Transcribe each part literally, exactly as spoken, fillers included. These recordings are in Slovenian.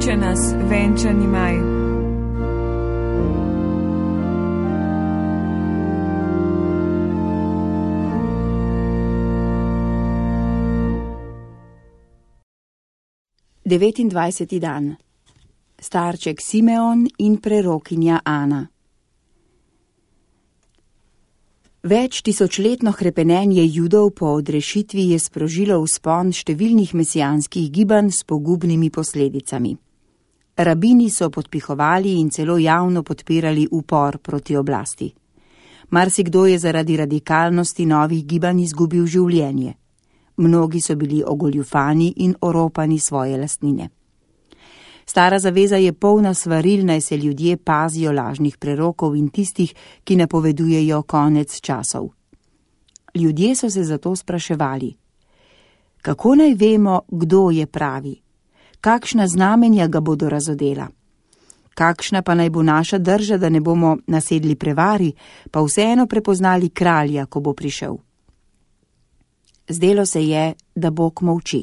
kliče nas venčani maj. devetindvajseti dan. Starček Simeon in prerokinja Ana. Več tisočletno hrepenenje Judov po odrešitvi je sprožilo vzpon številnih mesijanskih gibanj s pogubnimi posledicami. Rabini so podpihovali in celo javno podpirali upor proti oblasti. Marsikdo je zaradi radikalnosti novih gibanj izgubil življenje. Mnogi so bili ogoljufani in oropani svoje lastnine. Stara zaveza je polna svaril, naj se ljudje pazijo lažnih prerokov in tistih, ki napovedujejo konec časov. Ljudje so se zato spraševali: kako naj vemo, kdo je pravi? Kakšna znamenja ga bodo razodela? Kakšna pa naj bo naša drža, da ne bomo nasedli prevari, pa vseeno prepoznali kralja, ko bo prišel? Zdelo se je, da Bog molči.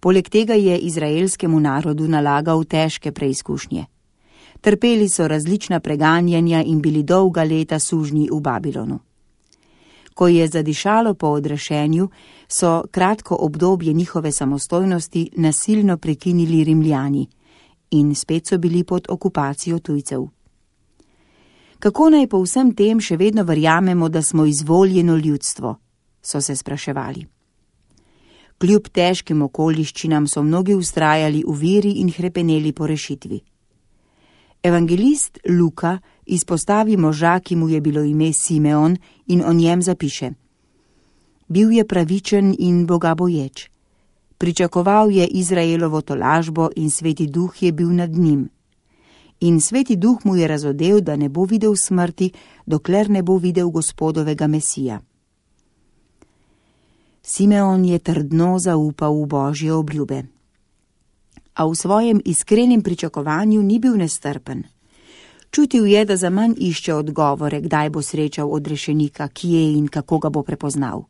Poleg tega je izraelskemu narodu nalagal težke preizkušnje. Trpeli so različna preganjanja in bili dolga leta sužnji v Babilonu. Ko je zadišalo po odrešenju, so kratko obdobje njihove samostojnosti nasilno prekinili Rimljani in spet so bili pod okupacijo tujcev. Kako naj po vsem tem še vedno verjamemo, da smo izvoljeno ljudstvo? So se spraševali. Kljub težkim okoliščinam so mnogi vztrajali v veri in hrepeneli po rešitvi. Evangelist Luka izpostavi moža, ki mu je bilo ime Simeon, in o njem zapiše: bil je pravičen in bogaboječ. Pričakoval je Izraelovo tolažbo in Sveti Duh je bil nad njim. In Sveti Duh mu je razodel, da ne bo videl smrti, dokler ne bo videl Gospodovega Mesija. Simeon je trdno zaupal v Božje obljube. A v svojem iskrenem pričakovanju ni bil nestrpen. Čutil je, da zaman išče odgovore, kdaj bo srečal odrešenika, kje in kako ga bo prepoznal.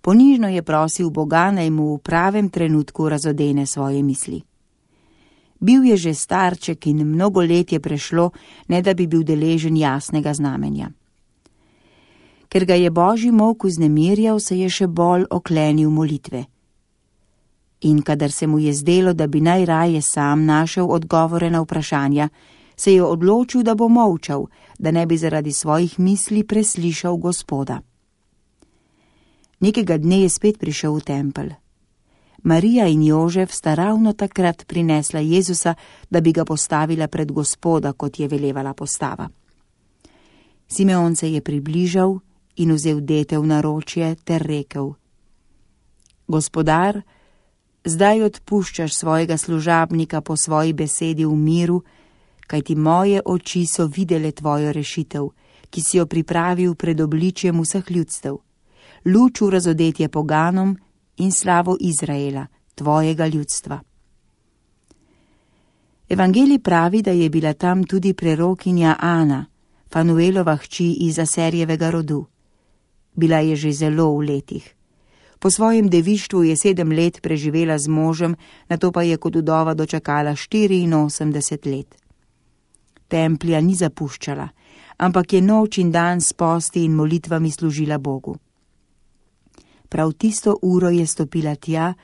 Ponižno je prosil Boga, naj mu v pravem trenutku razodene svoje misli. Bil je že starček in mnogo let je prešlo, ne da bi bil deležen jasnega znamenja. Ker ga je Božji molk vznemirjal, se je še bolj oklenil molitve. In kadar se mu je zdelo, da bi najraje sam našel odgovore na vprašanja, se je odločil, da bo molčal, da ne bi zaradi svojih misli preslišal Gospoda. Nekega dne je spet prišel v tempelj. Marija in Jožef sta ravno takrat prinesla Jezusa, da bi ga postavila pred Gospoda, kot je velevala postava. Simeon se je približal in vzel dete v naročje ter rekel: Gospodar, zdaj odpuščaš svojega služabnika po svoji besedi v miru, kajti moje oči so videle tvojo rešitev, ki si jo pripravil pred obličjem vseh ljudstev, luč v razodetje poganom in slavo Izraela, tvojega ljudstva. Evangelij pravi, da je bila tam tudi prerokinja Ana, Fanuelova hči iz Aserjevega rodu. Bila je že zelo v letih. Po svojem devištvu je sedem let preživela z možem, nato pa je kot vdova dočakala štiriinosemdeset let. Templja ni zapuščala, ampak je noč in dan s posti in molitvami služila Bogu. Prav tisto uro je stopila tja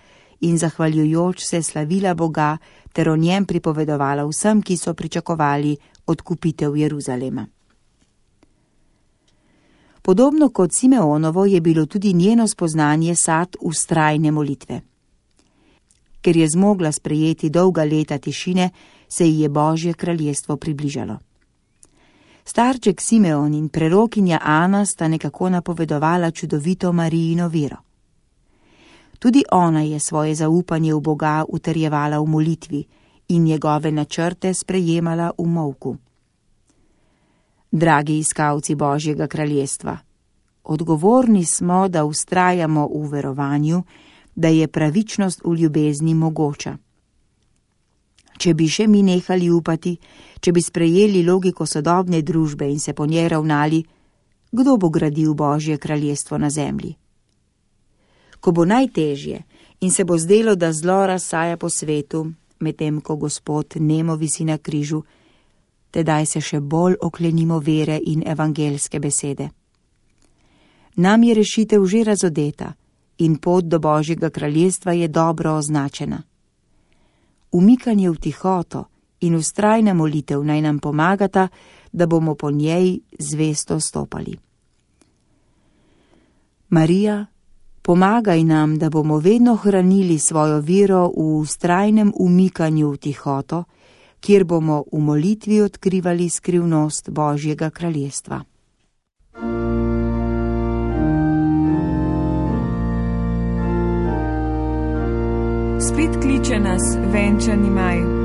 in zahvaljujoč se slavila Boga ter o njem pripovedovala vsem, ki so pričakovali odkupitev Jeruzalema. Podobno kot Simeonovo je bilo tudi njeno spoznanje sad vztrajne molitve. Ker je zmogla sprejeti dolga leta tišine, se ji je Božje kraljestvo približalo. Starček Simeon in prerokinja Ana sta nekako napovedovala čudovito Marijino vero. Tudi ona je svoje zaupanje v Boga utrjevala v molitvi in njegove načrte sprejemala v molku. Dragi iskalci Božjega kraljestva, odgovorni smo, da vztrajamo v verovanju, da je pravičnost v ljubezni mogoča. Če bi še mi nehali upati, če bi sprejeli logiko sodobne družbe in se po njej ravnali, kdo bo gradil Božje kraljestvo na zemlji? Ko bo najtežje in se bo zdelo, da zlo razsaja po svetu, medtem ko Gospod nemo visi na križu, tedaj se še bolj oklenimo vere in evangelske besede. Nam je rešitev že razodeta in pot do Božjega kraljestva je dobro označena. Umikanje v tihoto in vztrajna molitev naj nam pomagata, da bomo po njej zvesto stopali. Marija, pomagaj nam, da bomo vedno hranili svojo vero v vztrajnem umikanju v tihoto, kjer bomo v molitvi odkrivali skrivnost Božjega kraljestva. Spet kliče nas venčani maj.